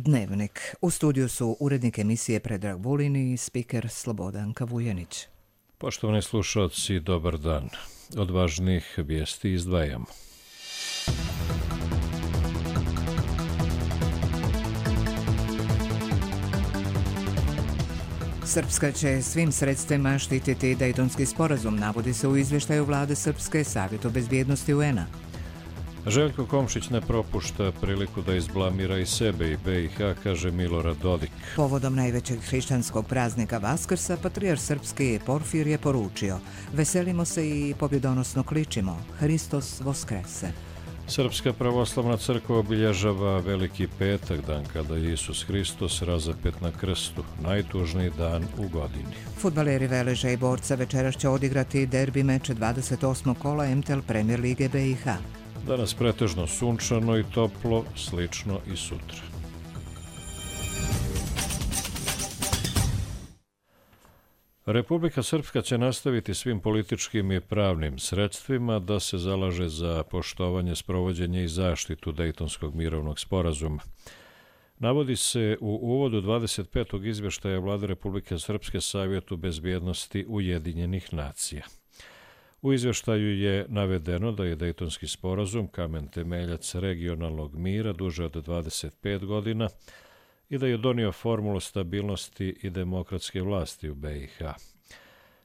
Dnevnik. U studiju su urednik emisije Predrag Vulin i spiker Slobodanka Vujanić. Poštovani slušalci, dobar dan. Od važnih vijesti izdvajamo. Srpska će svim sredstvima štititi Dejtonski sporazum, navodi se u izvještaju vlade Srpske, Savjetu bezbjednosti UN-a. Željko Komšić ne propušta priliku da izblamira i sebe i BiH, kaže Milorad Dodik. Povodom najvećeg hrišćanskog praznika Vaskrsa, patrijarh srpski Porfir je poručio: veselimo se i pobjedonosno kličimo, Hristos voskrese. Srpska pravoslavna crkva obilježava Veliki petak, dan kada je Isus Hristos razapet na krstu, najtužniji dan u godini. Fudbaleri Veleža i Borca večeras će odigrati derbi meč 28. kola MTL Premier Lige BiH. Danas pretežno sunčano i toplo, slično i sutra. Republika Srpska će nastaviti svim političkim i pravnim sredstvima da se zalaže za poštovanje, sprovođenje i zaštitu Dejtonskog mirovnog sporazuma. Navodi se u uvodu 25. izvještaja Vlade Republike Srpske Savjetu bezbjednosti Ujedinjenih nacija. U izvještaju je navedeno da je Dejtonski sporazum kamen temeljac regionalnog mira duže od 25 godina i da je donio formulu stabilnosti i demokratske vlasti u BiH.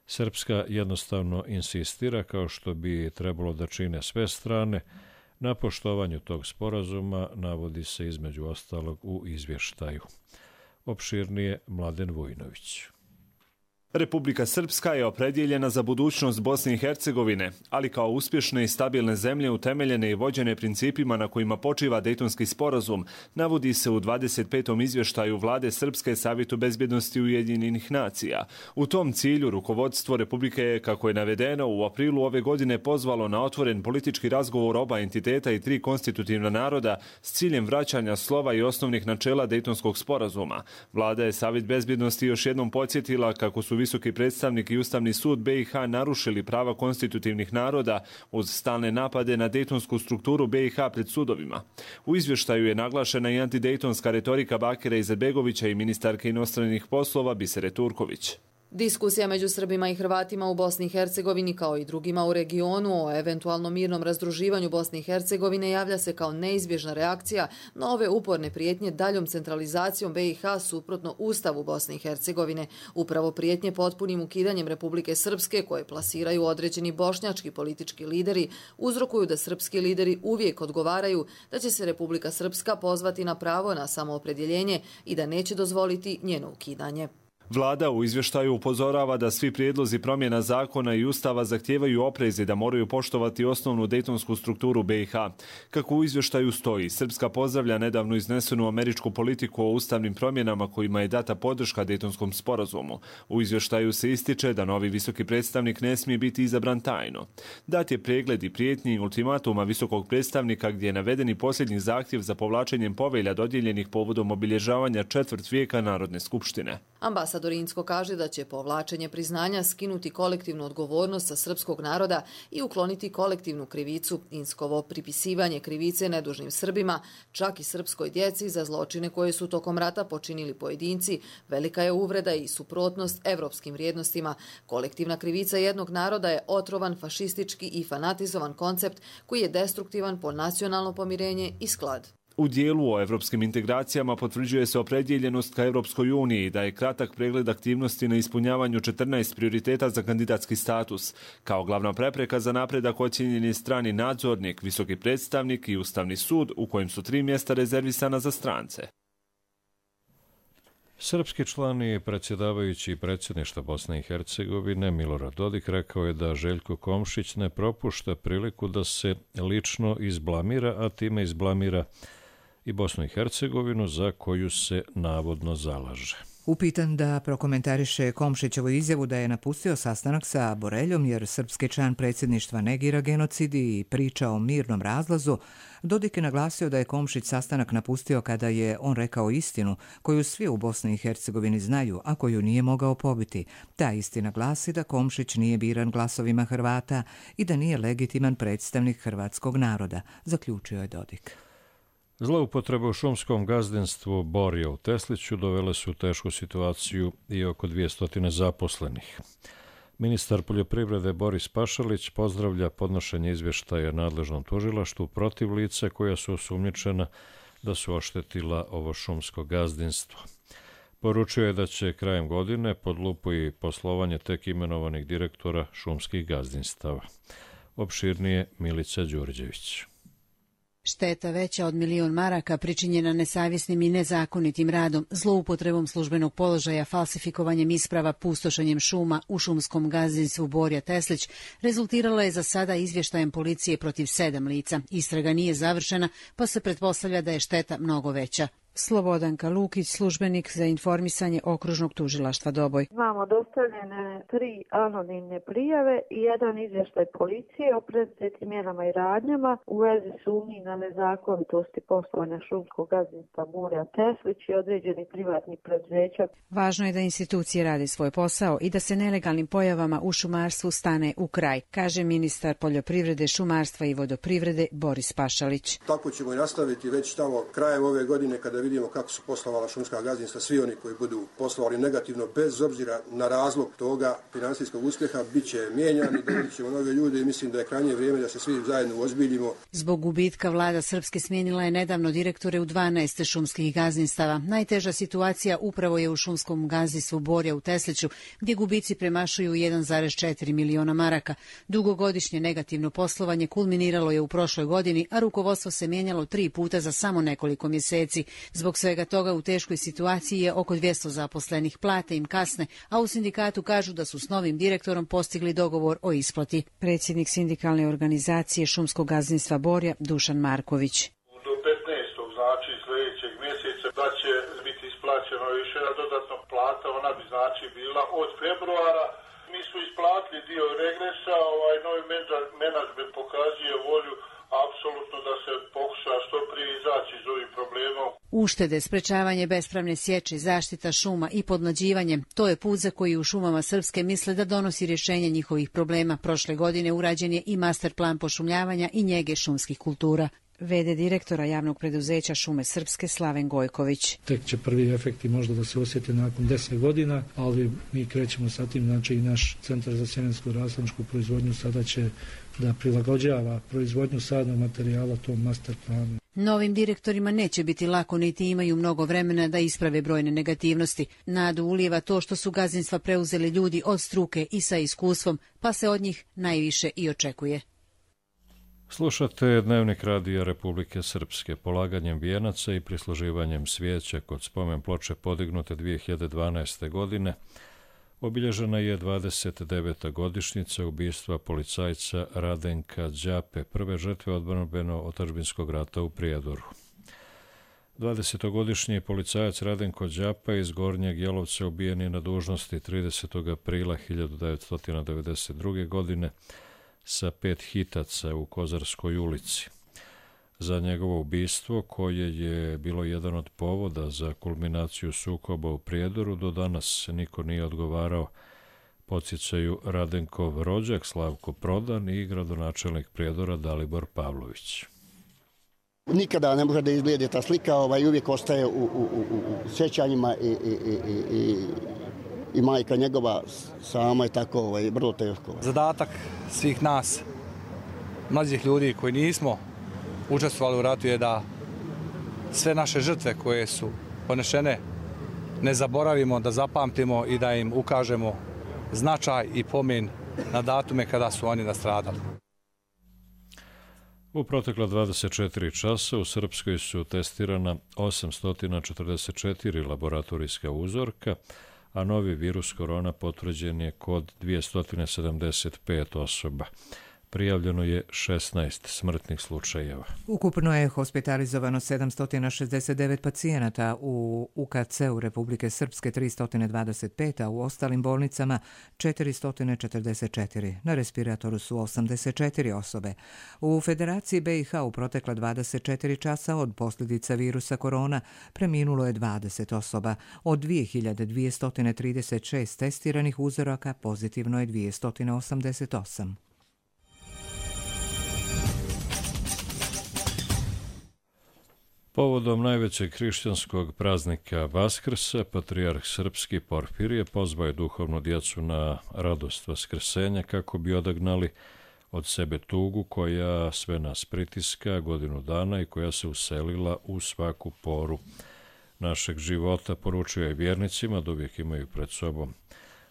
Srpska jednostavno insistira, kao što bi trebalo da čine sve strane, na poštovanju tog sporazuma, navodi se između ostalog u izvještaju. Opširnije Mladen Vujnović. Republika Srpska je opredjeljena za budućnost Bosne i Hercegovine, ali kao uspješne i stabilne zemlje utemeljene i vođene principima na kojima počiva Dejtonski sporazum, navodi se u 25. izvještaju Vlade Srpske Savjetu bezbjednosti Ujedinjenih nacija. U tom cilju rukovodstvo Republike je, kako je navedeno, u aprilu ove godine pozvalo na otvoren politički razgovor oba entiteta i tri konstitutivna naroda s ciljem vraćanja slova i osnovnih načela Dejtonskog sporazuma. Vlada je Savjet bezbjednosti još jednom podsjetila kako su Visoki predstavnik i Ustavni sud BiH narušili prava konstitutivnih naroda uz stalne napade na dejtonsku strukturu BiH pred sudovima. U izvještaju je naglašena i antidejtonska retorika Bakira Izetbegovića i ministarke inostranih poslova Bisere Turković. Diskusija među Srbima i Hrvatima u Bosni i Hercegovini kao i drugima u regionu o eventualnom mirnom razdruživanju Bosne i Hercegovine javlja se kao neizbježna reakcija na ove uporne prijetnje daljom centralizacijom BiH suprotno Ustavu Bosne i Hercegovine. Upravo prijetnje potpunim ukidanjem Republike Srpske, koje plasiraju određeni bošnjački politički lideri, uzrokuju da srpski lideri uvijek odgovaraju da će se Republika Srpska pozvati na pravo na samoopredjeljenje i da neće dozvoliti njeno ukidanje. Vlada u izvještaju upozorava da svi prijedlozi promjena zakona i ustava zahtijevaju oprez i da moraju poštovati osnovnu dejtonsku strukturu BiH. Kako u izvještaju stoji, Srpska pozdravlja nedavno iznesenu američku politiku o ustavnim promjenama kojima je data podrška Dejtonskom sporazumu. U izvještaju se ističe da novi visoki predstavnik ne smije biti izabran tajno. Dat je pregled i prijetnji i ultimatuma visokog predstavnika gdje je navedeni posljednji zahtjev za povlačenjem povelja dodijeljenih povodom obilježavanja četvrt vijeka Narodne skupštine. Ambasador Insko kaže da će povlačenje priznanja skinuti kolektivnu odgovornost sa srpskog naroda i ukloniti kolektivnu krivicu. Inskovo pripisivanje krivice nedužnim Srbima, čak i srpskoj djeci, za zločine koje su tokom rata počinili pojedinci, velika je uvreda i suprotnost evropskim vrijednostima. Kolektivna krivica jednog naroda je otrovan, fašistički i fanatizovan koncept koji je destruktivan po nacionalno pomirenje i sklad. U dijelu o evropskim integracijama potvrđuje se opredjeljenost ka Evropskoj uniji, da je kratak pregled aktivnosti na ispunjavanju 14 prioriteta za kandidatski status. Kao glavna prepreka za napredak ocijenjen je strani nadzornik, visoki predstavnik i Ustavni sud, u kojem su 3 mjesta rezervisana za strance. Srpski član i predsjedavajući predsjedništva Bosne i Hercegovine Milorad Dodik rekao je da Željko Komšić ne propušta priliku da se lično izblamira, a time izblamira i Bosnu i Hercegovinu za koju se navodno zalaže. Upitan da prokomentariše Komšićevu izjavu da je napustio sastanak sa Boreljom jer srpski član predsjedništva negira genocid i priča o mirnom razlazu, Dodik je naglasio da je Komšić sastanak napustio kada je on rekao istinu koju svi u Bosni i Hercegovini znaju, a koju nije mogao pobiti. Ta istina glasi da Komšić nije biran glasovima Hrvata i da nije legitiman predstavnik hrvatskog naroda, zaključio je Dodik. Zloupotrebe u šumskom gazdinstvu Borja u Tesliću dovele su u tešku situaciju i oko 200 zaposlenih. Ministar poljoprivrede Boris Pašalić pozdravlja podnošenje izvještaja nadležnom tužilaštvu protiv lica koja su osumnjičena da su oštetila ovo šumsko gazdinstvo. Poručio je da će krajem godine pod lupu i poslovanje tek imenovanih direktora šumskih gazdinstava. Opširnije Milica Đurđević. Šteta veća od 1 milion maraka pričinjena nesavjesnim i nezakonitim radom, zloupotrebom službenog položaja, falsifikovanjem isprava, pustošenjem šuma u šumskom gazdinstvu Borja Teslić rezultirala je za sada izvještajem policije protiv 7 lica. Istraga nije završena, pa se pretpostavlja da je šteta mnogo veća. Slobodanka Lukić, službenik za informisanje okružnog tužilaštva Doboj. Imamo dostavljene 3 anonimne prijave i 1 izvještaj policije o preduzetim mjerama i radnjama u vezi sumnji na nezakonitosti poslovanja šumskog gazdinstva Borja Teslić i određenih privatnih preduzeća. Važno je da institucije rade svoj posao i da se nelegalnim pojavama u šumarstvu stane u kraj, kaže ministar poljoprivrede, šumarstva i vodoprivrede Boris Pašalić. Tako ćemo i nastaviti već tamo krajem ove godine kada vidimo kako su poslovala šumska gazdinstva, svi oni koji budu poslovali negativno, bez obzira na razlog toga finansijskog uspjeha, bit će mijenjani, dobit ćemo nove ljude i mislim da je krajnje vrijeme da se svi zajedno ozbiljimo. Zbog gubitka vlada Srpske smijenila je nedavno direktore u 12 šumskih gazdinstava. Najteža situacija upravo je u šumskom gazdinstvu Borja u Tesliću, gdje gubici premašuju 1,4 miliona maraka. Dugogodišnje negativno poslovanje kulminiralo je u prošloj godini, a rukovodstvo se mijenjalo 3 puta za samo nekoliko mjeseci. Zbog svega toga u teškoj situaciji je oko 200 zaposlenih, plate im kasne, a u sindikatu kažu da su s novim direktorom postigli dogovor o isplati. Predsjednik sindikalne organizacije šumskog gazdinstva Borja, Dušan Marković. Do 15. znači sljedećeg mjeseca da će biti isplaćeno još jedna dodatna plata, ona bi znači bila od februara. Mi su isplatili dio regresa, novi menadžment pokazuje volju apsolutno da se pokuša što prije izaći iz ovih problema. Uštede, sprečavanje bespravne sječe, zaštita šuma i podmlađivanje, to je put za koji u šumama Srpske misle da donosi rješenje njihovih problema. Prošle godine urađen je i master plan pošumljavanja i njege šumskih kultura. VD direktora javnog preduzeća Šume Srpske Slaven Gojković. Tek će prvi efekti možda da se osjete nakon 10 godina, ali mi krećemo sa tim, znači i naš centar za sjemensku rasadničku proizvodnju sada će da prilagođava proizvodnju sadnog materijala tom master planu. Novim direktorima neće biti lako, niti imaju mnogo vremena da isprave brojne negativnosti. Nadu ulijeva to što su gazdinstva preuzeli ljudi od struke i sa iskustvom, pa se od njih najviše i očekuje. Slušate Dnevnik radija Republike Srpske. Polaganjem vijenaca i prisluživanjem svijeća kod spomen ploče podignute 2012. godine obilježena je 29. godišnjica ubistva policajca Radenka Đape, prve žrtve odbrambeno-otadžbinskog rata u Prijedoru. 20-godišnji policajac Radenko Đapa iz Gornjeg Jelovca ubijen je na dužnosti 30. aprila 1992. godine sa 5 hitaca u Kozarskoj ulici. Za njegovo ubistvo, koje je bilo jedan od povoda za kulminaciju sukoba u Prijedoru, do danas niko nije odgovarao, podsjećaju Radenkov rođak Slavko Prodan i gradonačelnik Prijedora Dalibor Pavlović. Nikada ne može da izgleda ta slika, uvijek ostaje u sjećanjima i majka njegova sama je tako vrlo teško. Zadatak svih nas, mlađih ljudi koji nismo učestvovali u ratu, je da sve naše žrtve koje su ponešene ne zaboravimo, da zapamtimo i da im ukažemo značaj i pomen na datume kada su oni nastradali. U protekla 24 časa u Srpskoj su testirana 844 laboratorijska uzorka, a novi virus korona potvrđen je kod 275 osoba. Prijavljeno je 16 smrtnih slučajeva. Ukupno je hospitalizovano 769 pacijenata u UKC-u Republike Srpske 325, a u ostalim bolnicama 444. Na respiratoru su 84 osobe. U Federaciji BiH u protekla 24 časa od posljedica virusa korona preminulo je 20 osoba. Od 2236 testiranih uzoraka pozitivno je 288. Povodom najvećeg hrišćanskog praznika Vaskrsa, patrijarh srpski Porfirije pozvao je duhovnu djecu na radost vaskrsenja kako bi odagnali od sebe tugu koja sve nas pritiska godinu dana i koja se uselila u svaku poru našeg života. Poručio je vjernicima da uvijek imaju pred sobom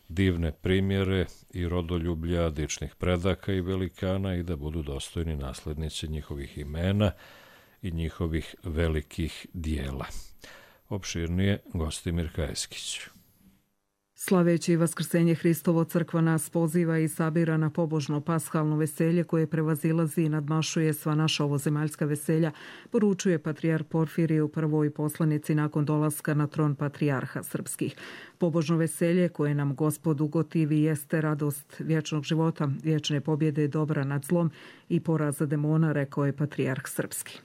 divne primjere i rodoljublja dičnih predaka i velikana i da budu dostojni naslednici njihovih imena i njihovih velikih dijela. Opširnije Gostimir Kajeskić. Slaveći Vaskrsenje Hristovo, crkva nas poziva i sabira na pobožno pashalno veselje koje prevazilazi i nadmašuje sva naša ovozemaljska veselja, poručuje patrijarh Porfirije u prvoj poslanici nakon dolaska na tron patrijarha srpskih. Pobožno veselje koje nam Gospod ugotivi jeste radost vječnog života, vječne pobjede dobra nad zlom i poraza demona, rekao je patrijarh srpski.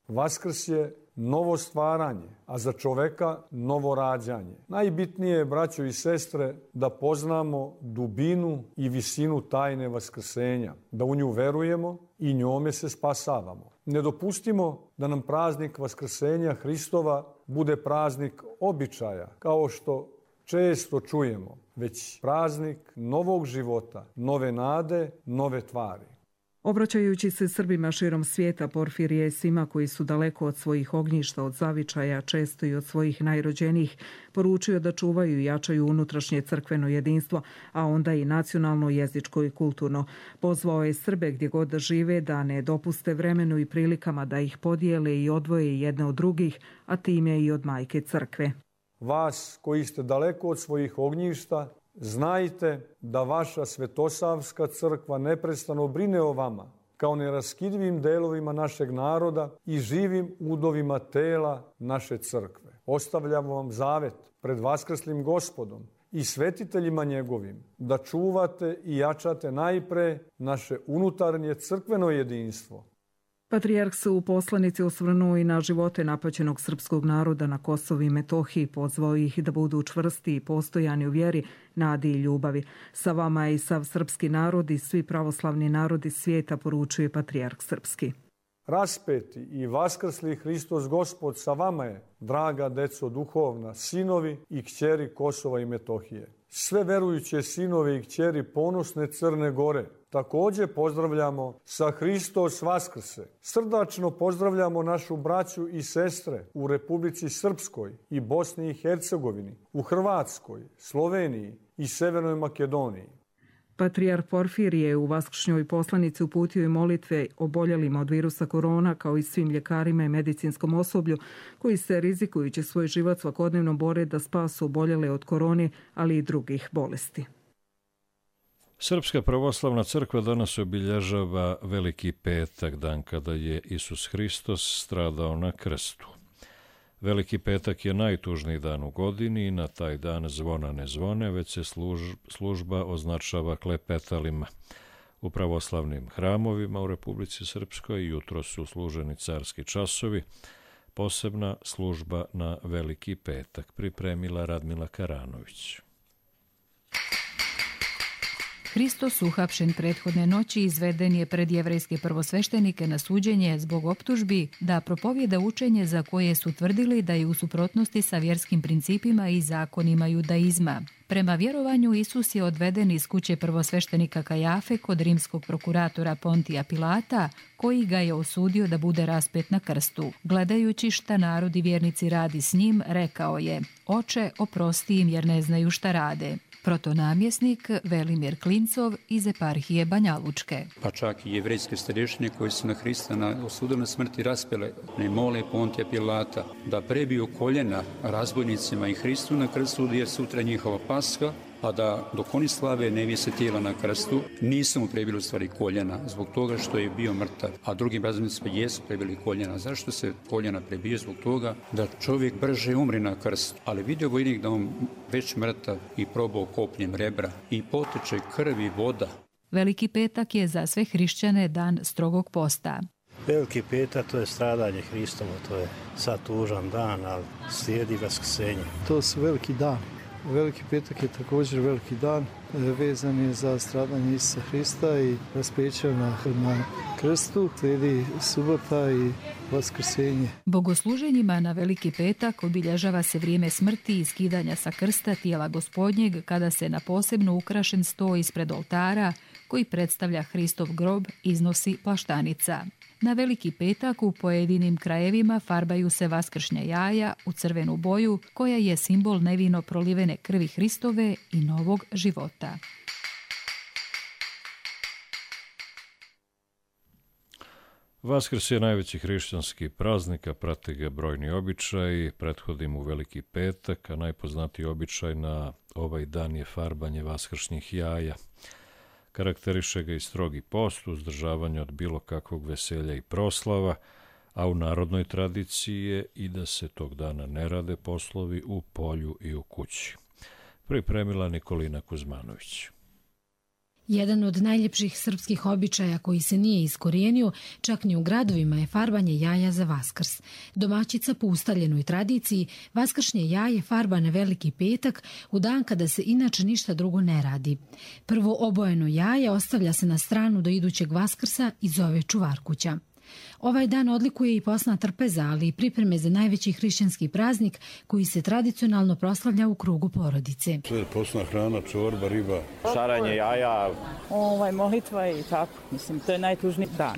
Vaskrs je novo stvaranje, a za čoveka novo rađanje. Najbitnije je, braćo i sestre, da poznamo dubinu i visinu tajne vaskrsenja, da u nju verujemo i njome se spasavamo. Ne dopustimo da nam praznik Vaskrsenja Hristova bude praznik običaja, kao što često čujemo, već praznik novog života, nove nade, nove tvari. Obraćajući se Srbima širom svijeta, Porfirije je svima koji su daleko od svojih ognjišta, od zavičaja, često i od svojih najrođenijih, poručio da čuvaju i jačaju unutrašnje crkveno jedinstvo, a onda i nacionalno, jezičko i kulturno. Pozvao je Srbe gdje god da žive da ne dopuste vremenu i prilikama da ih podijele i odvoje jedne od drugih, a time i od majke crkve. Vas koji ste daleko od svojih ognjišta, znajte da vaša Svetosavska crkva neprestano brine o vama, kao neraskidivim delovima našeg naroda i živim udovima tela naše crkve. Ostavljamo vam zavet pred vaskrslim Gospodom i svetiteljima njegovim, da čuvate i jačate najpre naše unutarnje crkveno jedinstvo. Patrijarh se u poslanici osvrnuo i na živote napaćenog srpskog naroda na Kosovu i Metohiji, pozvao ih da budu čvrsti i postojani u vjeri, nadi i ljubavi. Sa vama je i sav srpski narod i svi pravoslavni narodi svijeta, poručuje patrijarh srpski. Raspeti i vaskrsli Hristos Gospod sa vama je, draga deco duhovna, sinovi i kćeri Kosova i Metohije. Sve verujuće sinove i kćeri ponosne Crne Gore također pozdravljamo sa Hristos Vaskrse. Srdačno pozdravljamo našu braću i sestre u Republici Srpskoj i Bosni i Hercegovini, u Hrvatskoj, Sloveniji i Severnoj Makedoniji. Patrijarh Porfirije u vaskršnjoj poslanici uputio i molitve oboljelima od virusa korona, kao i svim ljekarima i medicinskom osoblju koji se, rizikujući svoj život, svakodnevno bore da spasu oboljele od korone, ali i drugih bolesti. Srpska pravoslavna crkva danas obilježava Veliki petak, dan kada je Isus Hristos stradao na krstu. Veliki petak je najtužniji dan u godini i na taj dan zvona ne zvone, već se služba označava klepetalima. U pravoslavnim hramovima u Republici Srpskoj jutro su služeni carski časovi, posebna služba na Veliki petak, pripremila Radmila Karanović. Hristos, uhapšen prethodne noći, izveden je pred jevrejske prvosveštenike na suđenje zbog optužbi da propovjeda učenje za koje su tvrdili da je u suprotnosti sa vjerskim principima i zakonima judaizma. Prema vjerovanju, Isus je odveden iz kuće prvosveštenika Kajafe kod rimskog prokuratora Pontija Pilata, koji ga je osudio da bude raspet na krstu. Gledajući šta narod i vjernici radi s njim, rekao je: Oče, oprosti im jer ne znaju šta rade. Protonamjesnik Velimir Klincov iz eparhije Banja Lučke. Pa čak i jevrejske starješine koji su na Hrista osudili na smrti raspele, ne mole Pontija Pilata da prebiju koljena razbojnicima i Hristu na krstu, jer sutra njihova Paska, a da dok oni slave ne vise tijela na krstu, nisu mu prebili u stvari koljena zbog toga što je bio mrtav, a drugim razbojnicima jesu prebili koljena. Zašto se koljena prebije? Zbog toga da čovjek brže umri na krstu. Ali vidio vojnik da on već mrtav i probao kopnjem rebra i poteče krv i voda. Veliki petak je za sve hrišćane dan strogog posta. Veliki petak, to je stradanje Hristovo, to je sad tužan dan, ali slijedi vaskrsenje. To su veliki dan. Veliki petak je također veliki dan, vezan je za stradanje Isusa Hrista i raspeće na krstu, slijedi subota i vaskrsenje. Bogosluženjima na Veliki petak obilježava se vrijeme smrti i skidanja sa krsta tijela Gospodnjeg kada se na posebno ukrašen sto ispred oltara koji predstavlja Hristov grob iznosi plaštanica. Na Veliki petak u pojedinim krajevima farbaju se vaskršnja jaja u crvenu boju koja je simbol nevino prolivene krvi Hristove i novog života. Vaskrs je najveći hrišćanski praznik, a prate ga brojni običaji. Prethodi mu Veliki petak, a najpoznatiji običaj na ovaj dan je farbanje vaskršnjih jaja. Karakteriše ga i strogi post, uzdržavanje od bilo kakvog veselja i proslava, a u narodnoj tradiciji je i da se tog dana ne rade poslovi u polju i u kući. Pripremila Nikolina Kuzmanović. Jedan od najljepših srpskih običaja koji se nije iskorijenio, čak ni u gradovima, je farbanje jaja za Vaskrs. Domaćica po ustaljenoj tradiciji vaskršnje jaje farba na Veliki petak u dan kada se inače ništa drugo ne radi. Prvo obojeno jaje ostavlja se na stranu do idućeg Vaskrsa i zove čuvarkuća. Ovaj dan odlikuje i posna trpeza, ali i pripreme za najveći hrišćanski praznik koji se tradicionalno proslavlja u krugu porodice. Sve je posna hrana, čorba, riba. Šaranje jaja. Molitva i tako. Mislim, to je najtužniji dan.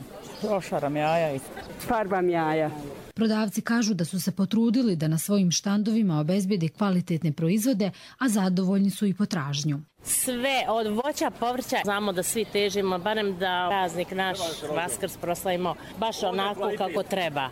Ošaram jaja i farbam jaja. Prodavci kažu da su se potrudili da na svojim štandovima obezbede kvalitetne proizvode, a zadovoljni su i potražnju. Sve od voća, povrća, znamo da svi težimo, barem da praznik naš Vaskrs proslavimo baš onako kako treba.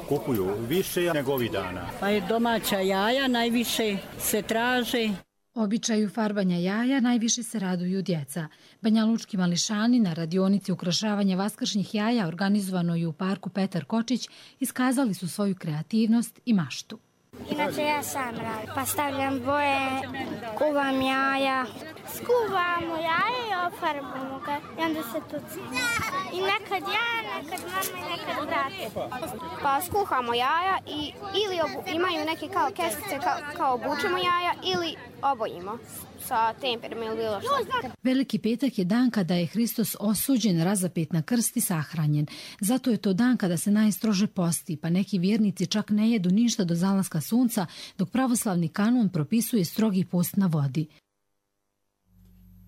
Kupuju više nego ovih dana. Pa je domaća jaja najviše se traže. Običaju farbanja jaja najviše se raduju djeca. Banjalučki mališani na radionici ukrašavanja vaskršnjih jaja organizovanoj u parku Petar Kočić iskazali su svoju kreativnost i maštu. Inače ja sam radim, pa stavljam boje, kuvam jaja. Skuvamo jaje i ofarbamo ga i onda se tucimo. I nekad ja, nekad mama i nekad brat. Pa skuhamo jaja i ili imaju neke kao kestice kao obučemo jaja ili obojimo sa temperom ili bilo što. Veliki petak je dan kada je Hristos osuđen, razapet na krst i sahranjen. Zato je to dan kada se najstrože posti, pa neki vjernici čak ne jedu ništa do zalaska sunca, dok pravoslavni kanon propisuje strogi post na vodi.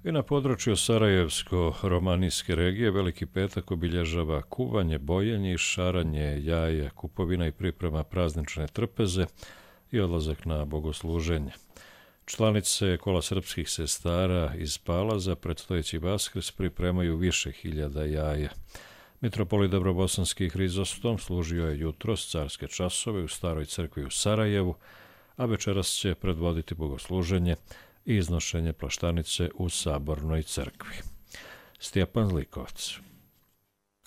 I na području Sarajevsko-romanijske regije Veliki petak obilježava kuvanje, bojenje i šaranje jaja, kupovina i priprema praznične trpeze i odlazak na bogosluženje. Članice kola srpskih sestara iz Palaza predstojeći Vaskrs pripremaju više hiljada jaja. Mitropolit Dobrobosanski Hrizostom služio je jutros carske časove u Staroj crkvi u Sarajevu, a večeras će predvoditi bogosluženje i iznošenje plaštanice u Sabornoj crkvi. Stjepan Zlikovac.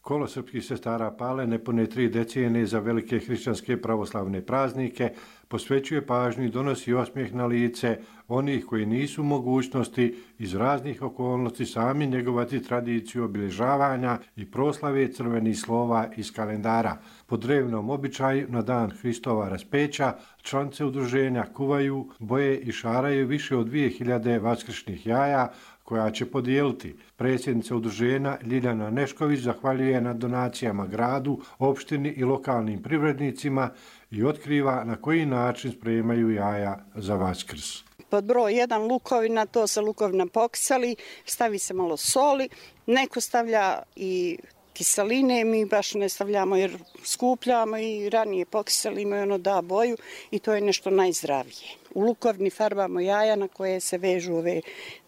Kolo srpskih sestara Pale nepune 3 decenije za velike hrišćanske pravoslavne praznike posvećuje pažnju i donosi osmijeh na lice onih koji nisu u mogućnosti iz raznih okolnosti sami njegovati tradiciju obilježavanja i proslave crvenih slova iz kalendara. Po drevnom običaju na dan Hristova raspeća članice udruženja kuvaju, boje i šaraju više od 2000 vaskršnjih jaja koja će podijeliti. Predsjednica udruženja Ljiljana Nešković zahvaljuje na donacijama gradu, opštini i lokalnim privrednicima i otkriva na koji način spremaju jaja za Vaskrs. Pod broj 1 lukovina, to se lukovina pokisali, stavi se malo soli, neko stavlja i kiseline, mi baš ne stavljamo jer skupljamo i ranije pokiselimo i ono da boju i to je nešto najzdravije. U lukovni farbamo jaja na koje se vežu ove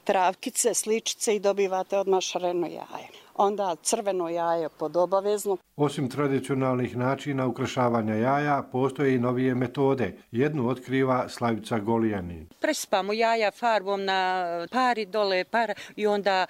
travkice, sličice i dobivate odmah šareno jaje. Onda crveno jaje pod obavezno. Osim tradicionalnih načina ukrašavanja jaja, postoje i novije metode. Jednu otkriva Slavica Golijanin. Prespamo jaja farbom na pari dole para i onda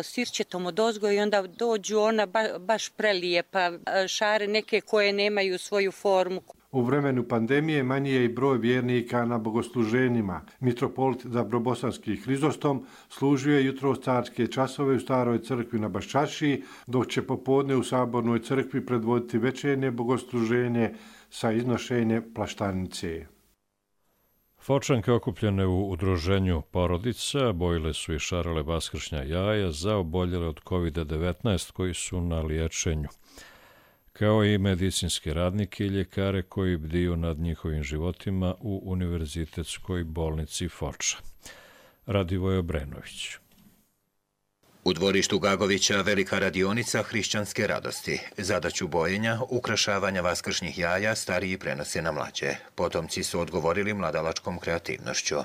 sirćetom odozgo i onda dođu ona baš prelije pa šare neke koje nemaju svoju formu. U vremenu pandemije manji je i broj vjernika na bogosluženjima. Mitropolit Dobrobosanski Hrizostom služio je jutros carske časove u Staroj crkvi na Baščašiji, dok će popodne u Sabornoj crkvi predvoditi večernje bogosluženje sa iznošenjem plaštanice. Fočanke okupljene u udruženju porodica bojile su i šarale vaskršnja jaja za oboljele od COVID-19 koji su na liječenju, kao i medicinske radnike i ljekare koji bdiju nad njihovim životima u Univerzitetskoj bolnici Foča. Radivoje Obrenović. U dvorištu Gagovića velika radionica hrišćanske radosti. Zadaću bojenja, ukrašavanja vaskršnjih jaja stariji prenose na mlađe. Potomci su odgovorili mladalačkom kreativnošću.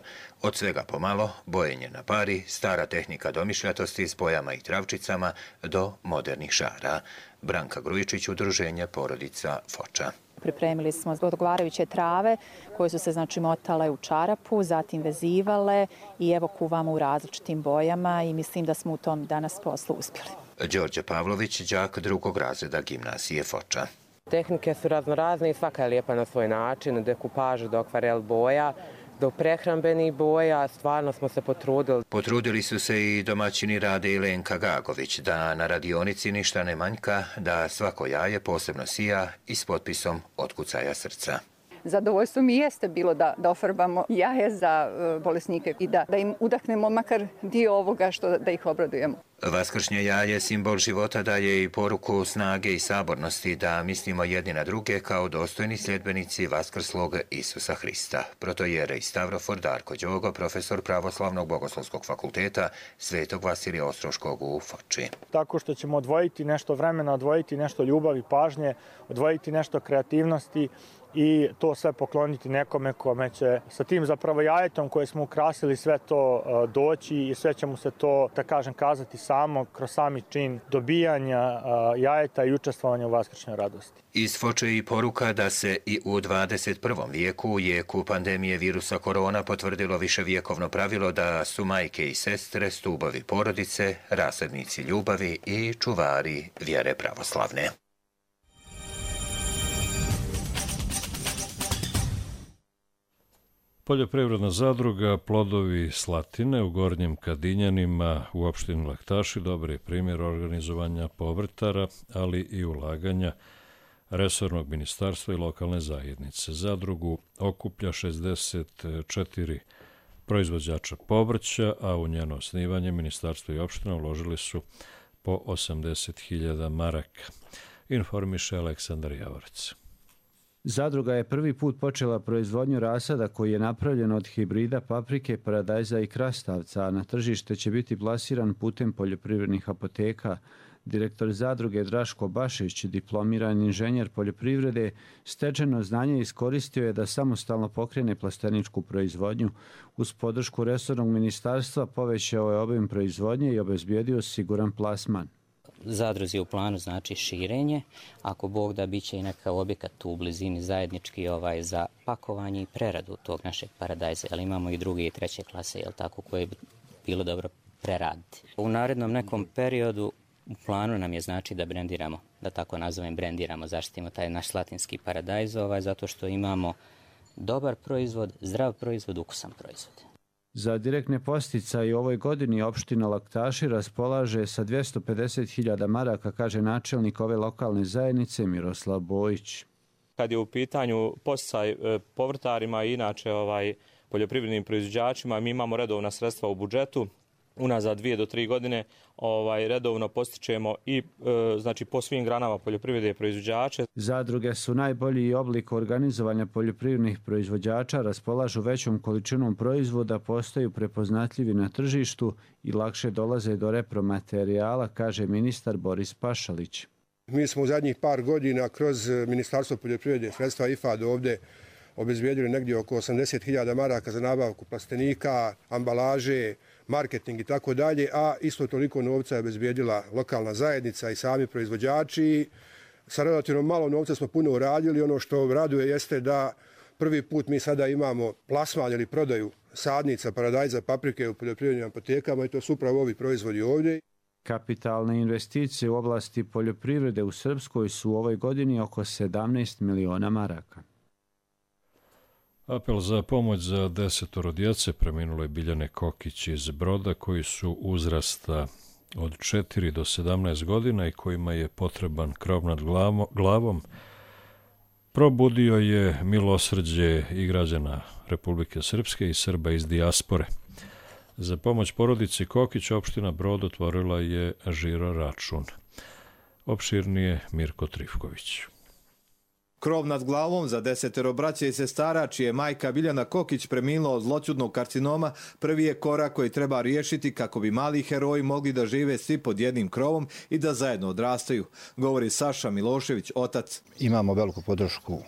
Od svega pomalo, bojenje na pari, stara tehnika domišljatosti s bojama i travčicama do modernih šara. Branka Grujičić, udruženje porodica Foča. Pripremili smo odgovarajuće trave koje su se motale u čarapu, zatim vezivale i evo kuvamo u različitim bojama i mislim da smo u tom danas poslu uspjeli. Đorđe Pavlović, đak 2. razreda gimnazije Foča. Tehnike su raznorazne i svaka je lijepa na svoj način, od dekupaža do akvarel boja, do prehrambenih boja, stvarno smo se potrudili. Potrudili su se i domaćini Rade i Lenka Gagović, da na radionici ništa ne manjka, da svako jaje posebno sija i s potpisom otkucaja srca. Zadovoljstvo mi jeste bilo da ofarbamo jaje za bolesnike i da im udahnemo makar dio ovoga da ih obradujemo. Vaskršnje jaje, simbol života, daje i poruku snage i sabornosti da mislimo jedni na druge kao dostojni sljedbenici vaskrslog Isusa Hrista. Protojere i Stavrofor Darko Đogo, profesor Pravoslavnog bogoslovskog fakulteta Svetog Vasilija Ostroškog u Foči. Tako što ćemo odvojiti nešto vremena, odvojiti nešto ljubavi, pažnje, odvojiti nešto kreativnosti i to sve pokloniti nekome kome će sa tim zapravo jajetom koje smo ukrasili sve to doći i sve će mu se to, da kažem, kazati samo kroz sami čin dobijanja jajeta i učestvovanja u vaskršnjoj radosti. Iz Foče i poruka da se i u 21. vijeku, u jeku pandemije virusa korona, potvrdilo viševjekovno pravilo da su majke i sestre stubovi porodice, rasadnici ljubavi i čuvari vjere pravoslavne. Poljoprivredna zadruga Plodovi Slatine u Gornjim Kadinjanima u opštini Laktaši dobar je primjer organizovanja povrtara, ali i ulaganja resornog ministarstva i lokalne zajednice. Zadrugu okuplja 64 proizvođača povrća, a u njeno osnivanje ministarstvo i opština uložili su po 80.000 maraka. Informiše Aleksandar Javorac. Zadruga je prvi put počela proizvodnju rasada koji je napravljen od hibrida paprike, paradajza i krastavca, a na tržište će biti plasiran putem poljoprivrednih apoteka. Direktor zadruge Draško Bašić, diplomirani inženjer poljoprivrede, stečeno znanje iskoristio je da samostalno pokrene plasteničku proizvodnju. Uz podršku resornog ministarstva povećao je obim proizvodnje i obezbijedio siguran plasman. Zadruzi u planu znači širenje, ako Bog da bit će i neka objekat tu u blizini zajednički za pakovanje i preradu tog našeg paradajza, ali imamo i druge i treće klase, koje bi bilo dobro preraditi. U narednom nekom periodu u planu nam je znači da brendiramo, da tako nazovem brendiramo, zaštitimo taj naš slatinski paradajz, zato što imamo dobar proizvod, zdrav proizvod, ukusan proizvod. Za direktne posticaje u ovoj godini opština Laktaši raspolaže sa 250.000 maraka, kaže načelnik ove lokalne zajednice Miroslav Bojić. Kad je u pitanju posticaj povrtarima i inače poljoprivrednim proizvođačima, mi imamo redovna sredstva u budžetu. Unazad 2 do 3 godine redovno postičemo i po svim granama poljoprivrede proizvođače. Zadruge su najbolji oblik organizovanja poljoprivrednih proizvođača, raspolažu većom količinom proizvoda, postaju prepoznatljivi na tržištu i lakše dolaze do repromaterijala, kaže ministar Boris Pašalić. Mi smo u zadnjih par godina kroz Ministarstvo poljoprivrede, sredstva IFAD ovdje obezbijedili negdje oko 80.000 maraka za nabavku plastenika, ambalaže, marketing i tako dalje, a isto toliko novca je obezbijedila lokalna zajednica i sami proizvođači. Sa relativno malo novca smo puno uradili. Ono što raduje jeste da prvi put mi sada imamo plasman ili prodaju sadnica, paradajza, paprike u poljoprivrednim apotekama i to su upravo ovi proizvodi ovdje. Kapitalne investicije u oblasti poljoprivrede u Srpskoj su u ovoj godini oko 17 miliona maraka. Apel za pomoć za 10 djece preminule Biljane Kokić iz Broda koji su uzrasta od 4 do 17 godina i kojima je potreban krov nad glavom probudio je milosrđe i građana Republike Srpske i Srba iz dijaspore. Za pomoć porodici Kokić opština Brod otvorila je žiro račun. Opširnije Mirko Trifković. Krov nad glavom za 10 braće i sestara, čije majka Biljana Kokić preminula od zloćudnog karcinoma, prvi je korak koji treba riješiti kako bi mali heroji mogli da žive svi pod jednim krovom i da zajedno odrastaju, govori Saša Milošević, otac. Imamo veliku podršku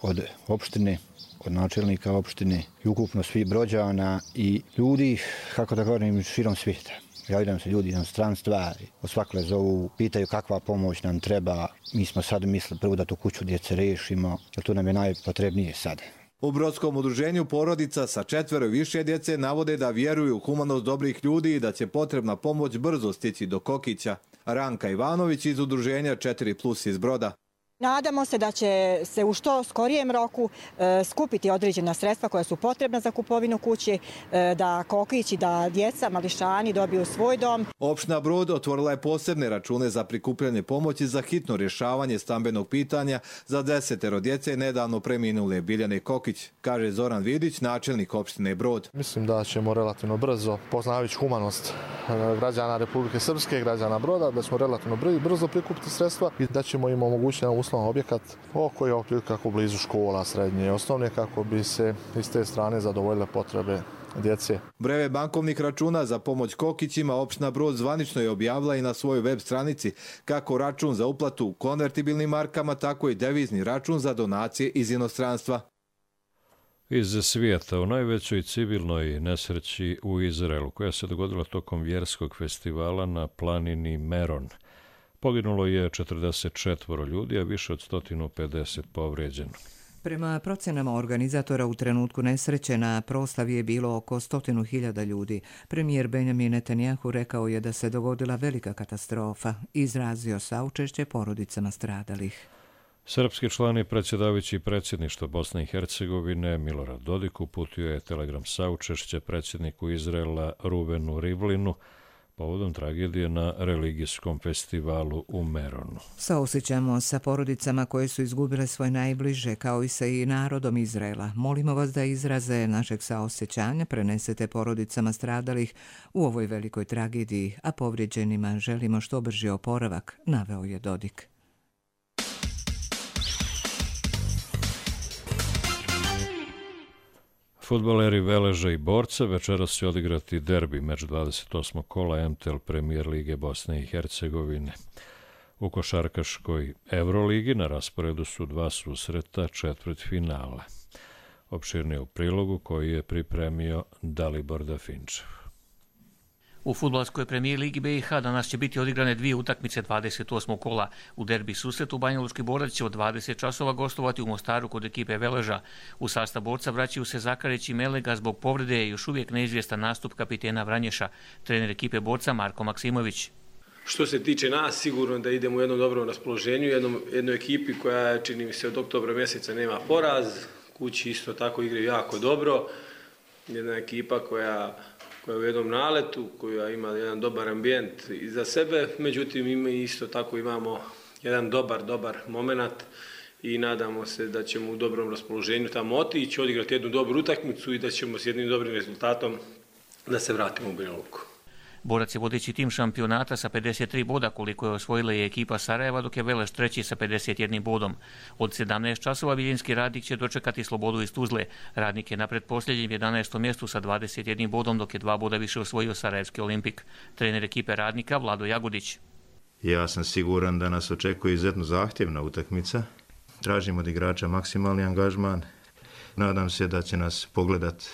od opštine, od načelnika opštine i ukupno svih Brođana i ljudi, kako da govorim, širom svijeta. Javljaju se ljudi iz stranstva, osvakle zovu, pitaju kakva pomoć nam treba. Mi smo sad mislili prvo da tu kuću djece rešimo, jer to nam je najpotrebnije sad. U Brodskom udruženju porodica sa 4 i više djece navode da vjeruju u humanost dobrih ljudi i da će potrebna pomoć brzo stići do Kokića. Ranka Ivanović iz udruženja 4+ iz Broda. Nadamo se da će se u što skorijem roku skupiti određena sredstva koja su potrebna za kupovinu kuće, da Kokić i da djeca, mališani dobiju svoj dom. Opština Brod otvorila je posebne račune za prikupljanje pomoći za hitno rješavanje stambenog pitanja za 10 djece nedavno preminule Biljane Kokić, kaže Zoran Vidić, načelnik opštine Brod. Mislim da ćemo relativno brzo, poznavajući humanost građana Republike Srpske, građana Broda, da ćemo relativno brzo prikupiti sredstva i da ćemo im omogućiti uslovan objekat koji je otprilike kako blizu škola, srednje i osnovne, kako bi se iz te strane zadovoljile potrebe djece. Breve bankovnih računa za pomoć Kokićima opština Brod zvanično je objavila i na svojoj web stranici, kako račun za uplatu konvertibilnim markama, tako i devizni račun za donacije iz inostranstva. Iz svijeta u najvećoj civilnoj nesreći u Izraelu, koja se dogodila tokom vjerskog festivala na planini Meron. Poginulo je 44 ljudi, a više od 150 povrijeđeno. Prema procenama organizatora u trenutku nesreće na proslavi je bilo oko 100.000 ljudi. Premijer Benjamin Netanjahu rekao je da se dogodila velika katastrofa. Izrazio saučešće porodicama stradalih. Srpski član i predsjedavajući predsjedništva Bosne i Hercegovine Milorad Dodik uputio je telegram saučešće predsjedniku Izraela Ruvenu Rivlinu povodom tragedije na religijskom festivalu u Meronu. Saosjećamo sa porodicama koje su izgubile svoje najbliže, kao i sa i narodom Izraela. Molimo vas da izraze našeg saosjećanja prenesete porodicama stradalih u ovoj velikoj tragediji, a povrijeđenima želimo što brži oporavak, naveo je Dodik. Fudbaleri Veleža i Borca večeras će odigrati derbi meč 28. kola MTL Premier Lige Bosne i Hercegovine. U košarkaškoj Euroligi na rasporedu su 2 susreta četvrtfinala. Opširnije u prilogu koji je pripremio Dalibor Dafinčev. U fudbalskoj premijer ligi BiH danas će biti odigrane 2 utakmice 28. kola. U derbi susretu Banjalučki Borac će od 20 časova gostovati u Mostaru kod ekipe Veleža. U sastav Borca vraćaju se Zakarić i Melega, zbog povrede je još uvijek neizvjestan nastup kapitena Vranješa, trener ekipe Borca Marko Maksimović. Što se tiče nas, sigurno da idemo u jednom dobrom raspoloženju, jednoj ekipi koja, čini mi se, od oktobra mjeseca nema poraz, kući isto tako igraju jako dobro, jedna ekipa koja je u jednom naletu, koja ima jedan dobar ambijent iza sebe, međutim isto tako imamo jedan dobar moment i nadamo se da ćemo u dobrom raspoloženju tamo otići, odigrati jednu dobru utakmicu i da ćemo s jednim dobrim rezultatom da se vratimo u Banja Luku. Borac je vodeći tim šampionata sa 53 boda, koliko je osvojila i ekipa Sarajeva, dok je Veleš treći sa 51 bodom. Od 17 časova Viljinski Radnik će dočekati Slobodu iz Tuzle. Radnik je na pretposljednjem 11. mjestu sa 21 bodom, dok je 2 boda više osvojio Sarajevski Olimpik. Trener ekipe Radnika Vlado Jagodić. Ja sam siguran da nas očekuje izuzetno zahtjevna utakmica. Tražimo od igrača maksimalni angažman. Nadam se da će nas pogledati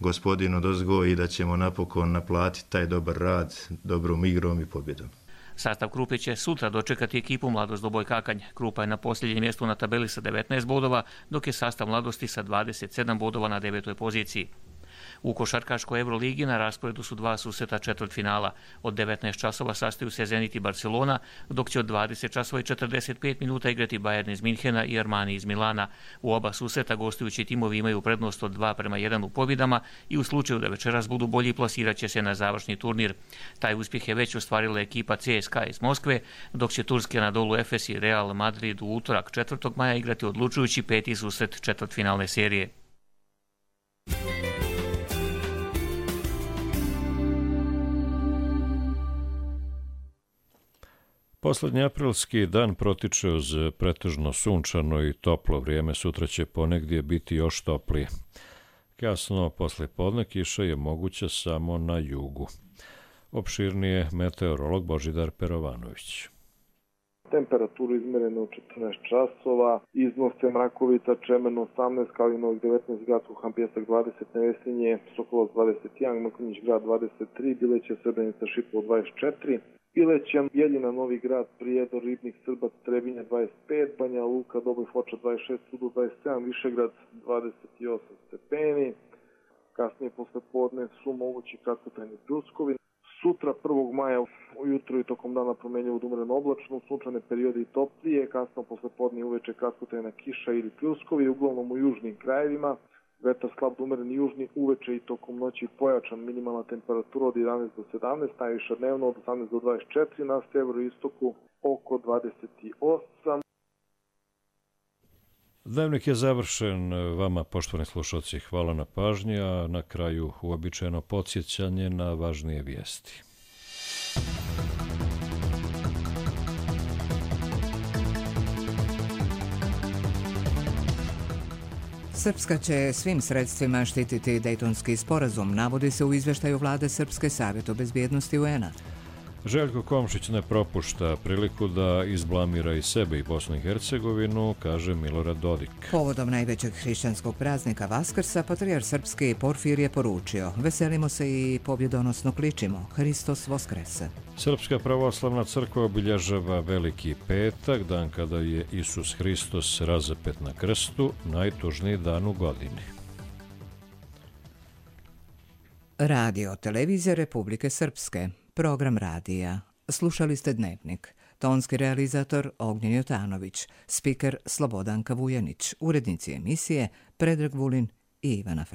gospodin odozgo i da ćemo napokon naplatiti taj dobar rad dobrom igrom i pobjedom. Sastav Krupe će sutra dočekati ekipu Mladost Doboj Kakanj. Krupa je na posljednjem mjestu na tabeli sa 19 bodova, dok je sastav Mladosti sa 27 bodova na 9. poziciji. U košarkaškoj Euroligi na rasporedu su 2 susreta četvrtfinala. Od 19 časova sastaju se Zenit i Barcelona, dok će od 20 časova i 45 minuta igrati Bayern iz Minhena i Armani iz Milana. U oba susreta gostujući timovi imaju prednost od 2:1 u pobjedama i u slučaju da večeras budu bolji plasirat će se na završni turnir. Taj uspjeh je već ostvarila ekipa CSKA iz Moskve, dok će turski Anadolu Efes i Real Madrid u utorak 4. maja igrati odlučujući 5. susret četvrtfinalne serije. Poslednji aprilski dan protiče uz pretežno sunčano i toplo vrijeme. Sutra će ponegdje biti još toplije. Kasno posle podne kiša je moguća samo na jugu. Opširnije meteorolog Božidar Perovanović. Temperaturu izmereno u 14 časova, iznose Mrakovica, Čemerno 18, Kalinovog 19, Grad Kuhan Pjesak 20, Nevesinje, Sokolovac 21, Mrkonjić grad 23, Bileće, Srebrenica, Šipovo 24, Bileće, Jeljina, Novi grad, Prijedor, Ribnik, Srbac, Trebinje 25, Banja Luka, Doboj Foča 26, Sudu 27, Višegrad 28 stepeni. Kasnije posle podne su mogući kratkotrajni pljuskovi. Sutra 1. maja ujutro i tokom dana promenljivo od umreno oblačno, sunčane periode i toplije, kasno posle podne uveče kratkotrajna kiša ili pljuskovi, uglavnom u južnim krajevima. Vetar slab umeren južni, uveče i tokom noći pojačan, minimalna temperatura od 11 do 17, najviša dnevno od 18 do 24, na severoistoku oko 28. Dnevnik je završen. Vama, poštovani slušalci, hvala na pažnji, a na kraju uobičajeno podsjećanje na važnije vijesti. Srpska će svim sredstvima štititi Dejtonski sporazum, navodi se u izveštaju vlade Srpske savjeta bezbjednosti UN-a. Željko Komšić ne propušta priliku da izblamira i sebe i Bosnu i Hercegovinu, kaže Milorad Dodik. Povodom najvećeg hrišćanskog praznika Vaskrsa, patrijarh srpski Porfir je poručio: veselimo se i pobjedonosno kličimo, Hristos Voskrese. Srpska pravoslavna crkva obilježava Veliki petak, dan kada je Isus Hristos razapet na krstu, najtužniji dan u godini. Radio televizija Republike Srpske. Program radija. Slušali ste Dnevnik. Tonski realizator Ognjen Jotanović, spiker Slobodanka Vujanić, urednici emisije Predrag Vulin i Ivana Fra.